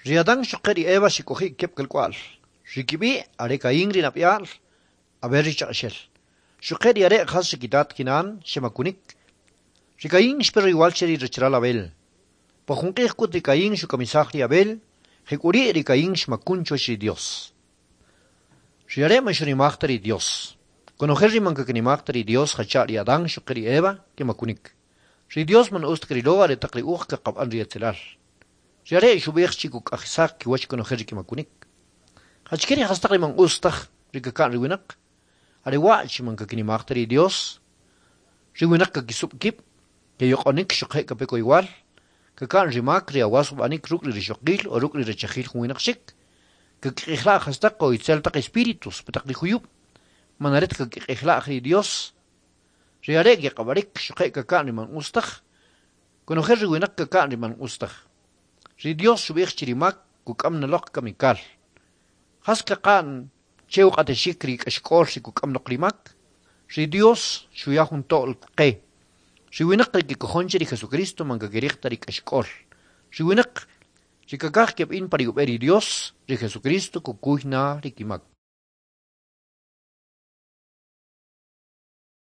Ri Adán xuquje' ri Eva xek'oji' keb' kalk'wa'l. Ri kib'i' are Caín ri nab'yal, Abel ri chaq'axel. Xuquje' ri are' jas ri kitat kinan xemakunik. Ri Caín xpe royowal che ri rachalal Abel. Pa jun q'ij k'ut ri Caín xukamisaj ri Abel, jek'uri' ri Caín xmakun chuwach ri Dios. Ri are' man xunimaj ta ri Dios. Konojel ri man kakinimaj ta ri Dios jacha' ri Adán xuquje' ri Eva kemakunik. Ri Dios man utz ta krilo aretaq ri uj kaqab'an ri etzelal. Ri are' xub'ij chi kuk'ajisaj kiwach konojel ri kemakunik. Jachike ri jastaq ri man utz taj ri kaka'n ri winaq? Are wa' chi man kakinimaj ta ri Dios. Ri winaq kakisub' kib', keyoq'onik xuquje' kape koyowal, kaka'n ri mak ri awas ub'anik ruk' ri rixoqil o ruk' ri rachajil jun winaq chik, kakiq'ijla'j jastaq o itzel taq espíritus pa taq ri juyub', man are ta kakiq'ijla'j ri Dios. Ri are' keq'ab'arik xuquje' kaka'n ri man utz taj, konojel ri winaq kaka'n ri man utz taj. Ri Dios xub'ij chi ri mak kuk'am na loq kamikal. Jas kaqa'n che uq'atexik ri k'axk'ol ri kuk'am loq ri mak? Ri Dios xuya jun to'l qe. Ri winaq ri kikojon che ri Jesucristo man kakiriq ta ri k'axk'ol. Ri winaq ri kakaj keb'in pa ri ub'e ri Dios, ri Jesucristo kukuy na ri kimak.